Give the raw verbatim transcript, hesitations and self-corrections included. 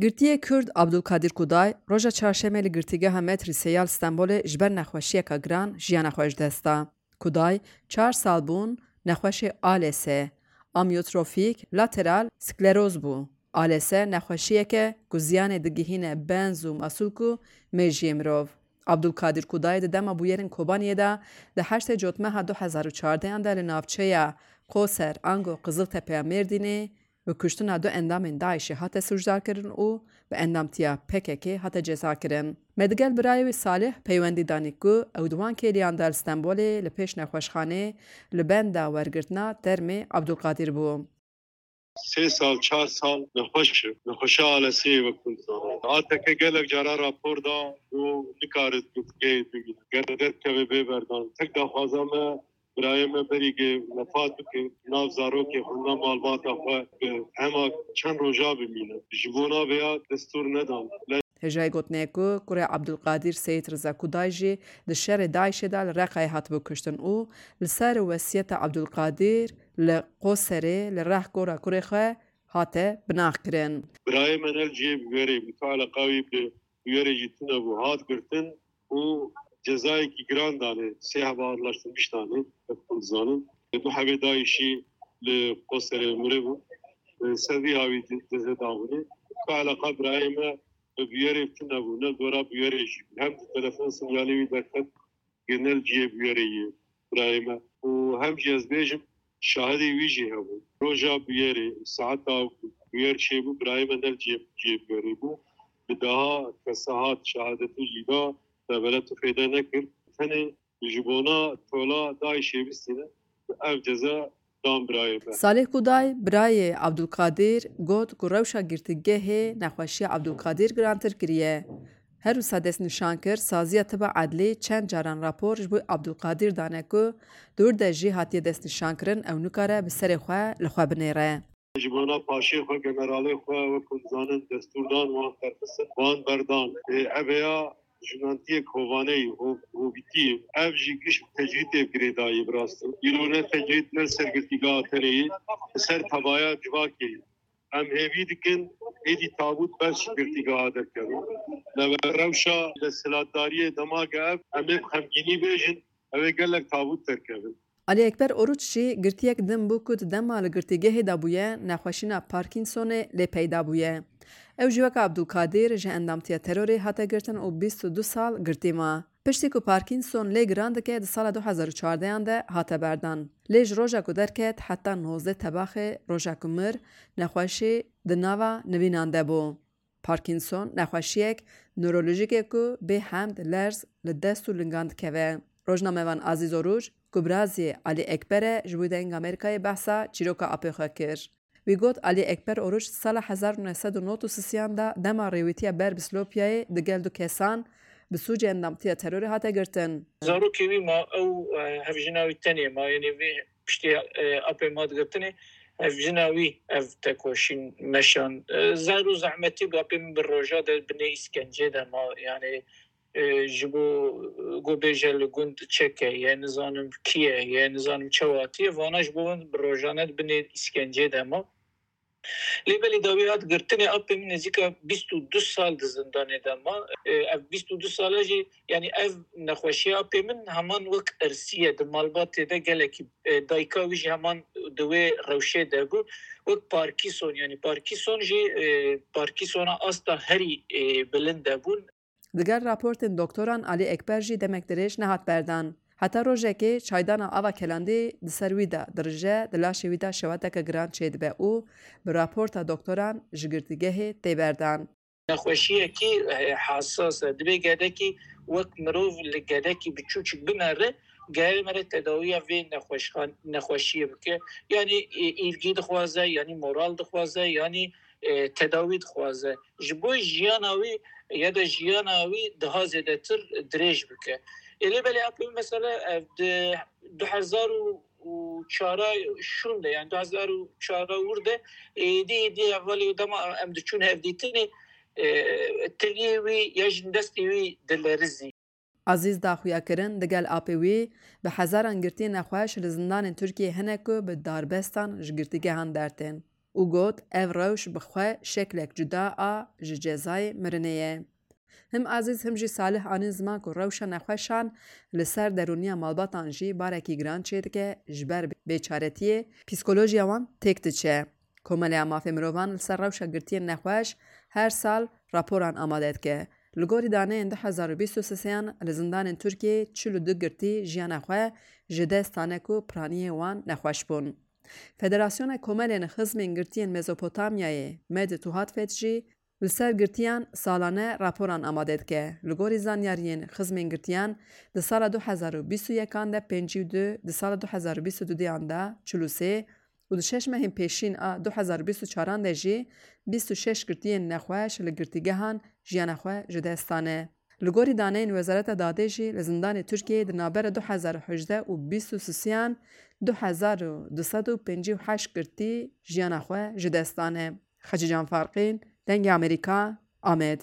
Girtiyê Kurd Abdulkadir Kuday roja çarşemê li Girtîgeha Metrî Seyal Stenbolê ji ber nexweşiyeke giran jiyana xwe ji dest da. Kuday çar sal bûn nexweşê A L S, amyotrofîk lateral skleroz bû. A L S nexweşiyeke ku ziyanê digihîne benz û masûlk û mêjiyê mirov. Abdulkadir Kuday di dema bûyerên Kobaniyê de di heştê Cotmeha du hezar û çardeh de li navçeya Qoser ango Qiziltepeya Mêrdînê bi kuştina du endamên DAIŞê hate sûcdarkirin û bi endamtiya P K K hate cezakirin. Me digel birayê wî Salih peywendî danî ku ew di wan kêliyan de li Stenbolê li pêş nexweşxanê li benda wergirtina termê Abdulkadir bû. Sê sal, çar sal nexweş e. Nexweşa A L S'ê wek hûn dizanin. A T K gelek cara rapor da ku nikare girtîgehê bimîne. Ger derkeve bê berdan. Tek daxwaza me, birayê me berî ku wefat bike, nav zarokê xwe, nav malbata xwe bi hema çend roja bimîne. Ji bona vêya destûr nedan. Hêjayî gotinê ye ku kurê Abdulkadir Seyîd Riza Kuday jî di şerê DAIŞê de li Reqayê hatibû kuştin û li ser wesiyeta Abdulkadir li Qoserê li reh gora kurê xwe hate binaxkirin. Birayê me ne li cihê bûyerê bû, tu eleqa wî bi bûyerê jî tune bû, hat girtin û cezayekî giran danê, sê heba arlaştirmiş danê, wek hûn dizanin. Du hebê DAIŞî li Qoserê miribû, ser vî hawî ceze dabûnê. Tu eleqa birayê me bi bûyerê tune bû, ne dora bûyerê jî bû. Hem di telefon sinyalê wî derket, gel ne li cihê bûyerê yê birayê me. Û hem jî ez bêjim, şahidê wî jî hebû. Roja bûyerê, saeta bûyer çêbû, birayê me ne li cihê, cihê bûyerê bû. Bi deha kesa hat şahadetê jî da, te bere tu fêde nekir. Tenê ji bona tola DAIŞê bistîne, ev ceza dan birayê me. Salih Kuday, birayê Abdulkadir, got ku rewşa girtîgehê nexweşiya Abdulkadir girantir kiriye. Her wisa destnîşan kir, saziya tiba edlî çend caran rapor ji bo Abdulkadir dane ku dûr de jî hatiye destnîşankirin, ew nikare bi serê xwe li xwe binêre. Ji bona paşê xwe, generalê xwe, wek hûn dizanin, destûr dan wan qerxistin, wan berdan. Ê, ev ya jûnantiyek hovaneyî, ho-, hovîtî ye. Ev jî giş bi tecrîdê girêdayî bi rastî. Îro ne tecrîd ne li ser girtîgeha tenê ye, li ser tevaya civakê ye. Em hêvî dikin êdî tabût bes ji girtîgeha derkeve. Lewê rewşa desthilatdariyê dema ge ev, em ê bi xemgînî bêjin, ew ê gelek tabût derkevin. Alî Ekber Oruç jî girtiyek din bû ku di dema li girtîgehê de bûye, nexweşîna Parkinsonê lê peyda bûye. Ew jî weke Abdulkadir ji endamtiya terorê hate girtin û bîst û du sal girtî ma. Piştî ku Parkinson lê giran dike, di sala du hezar û çardeh de hate berdan. Lê ji roja ku derket heta nozdeh Tebaxê, roja ku mir, nexweşî di nava nivînan de bû. Parkinson nexweşiyek newrolojîk e ku bê hemd, lerz li dest û lingan dikeve. Rojnamevan Azîz Oruç, ku birazî Alî Ekber e, ji bo Dengê Amerîkayê behsa çîroka apê xwe kir. Wî got, Alî Ekber Oruç di sala hezar û neh sed û nod û sisiyan de dema rêwîtiya ber bi Silopiyayê digel du kesan bi sûcê endamtiya terorê hate girtin. Zarokê wî ma, ew, e, hevjina wî tenê ma, yanî vê piştî, e, apê ma digirtinê, hevjina wî ev tekoşîn meşand. E, zer û zehmetî bû, apê min bi roja de binê îskencê de ma, yanî, e, ji bo, e, ku bêje li gund çeke ye, nizanim kî ye, ye, nizanim çewatî ye, vana ji bo min bi rojane di binê îskencê de ma. Lê belê dawî hat girtinê, apê min nêzîka bîst û du sal di zindanê de ma. E, ev bîst û du sala jî, yanî ev nexweşiya apê min heman wek irsî ye, di malbatê de gelekî, e, dayika wî jî heman di wê rewşê de bû. Wek Parkinson, yanî Parkinson jî, e, Parkinsona asta herî, e, bilind de bûn. Digel raportên doktoran, Alî Ekber jî demek dirêj nehat berdan. Heta rojekê çaydana ava kelandî di ser wî de dirije, di laşê wî de şewateke giran çêdibe û bi raporta doktoran ji girtîgehê tê berdan. Nexweşiyekî, e, hesas e. Dibê gedekî wek mirov li gedekî biçûçik binere, gere mere tedawiya vê nexweşxan-, nexweşiyê bike. Yanî, e, îlgî dixwaze, yanî moral dixwaze, yanî, e, tedawî dixwaze. Ji bo jiyana wî ya da jiyana wî daha zêdetir dirêj bike. Ê lê belê apê mesela ev di du hezar û çar şûn de, yani du hezar û çar wir de, êdî êdî hevalê dema em diçûn hevdîtinê, e, tiliyê wî ya jin destê wî dilerizî. Azîz da xuyakirin, digel apê wî bi hezaran girtiyên nexweş li zindanên Tirkiyê hene ku bi darbestan ji girtîgehan dertên. û got, ev rewş bi xwe şeklek cuda a ji cezayê mirinê ye. Him Ezîz him jî Salih anîn ziman ku rewşa nexweşan li ser derûniya malbatan jî barekî giran çêdike, ji ber bêçaretiyê psîkolojiya wan têk diçe. Komeleya Mafê Mirovan li ser rewşa girtiyên nexweş her sal raporan amade dike. Li gorî daneyên du hezar û bîst û sêyan li zindanên Tirkiyeyê çil û du girtî jiyana xwe ji dest dane ku piraniyê wan nexweş bûn. Federasyona Komelên Xizmên Girtiyên Mezopotamyayê, MED Tuhatfet jî li ser girtiyan salane raporan amade dike. Li gorî zanyariyên xizmên girtiyan, di sala du hezar û bîst û yekan de pêncî û du, di sala du hezar û bîst û duduyan de çil û sê û di şeş mehên pêşîn a du hezar û bîst û çaran de jî bîst û şeş girtiyên nexweş li girtîgehan jiyana xwe ji dest dane. Li gorî daneyên Wezareta Dadê jî li zindanê Tirkiyeyê di navbera du hezar û hejdeh û bîst û sisiyan du hezar û du sed û pêncî û heşt girtî jiyana xwe ji dest dane. Xecîcan Farqîn, Dengê Amerîka, Amed.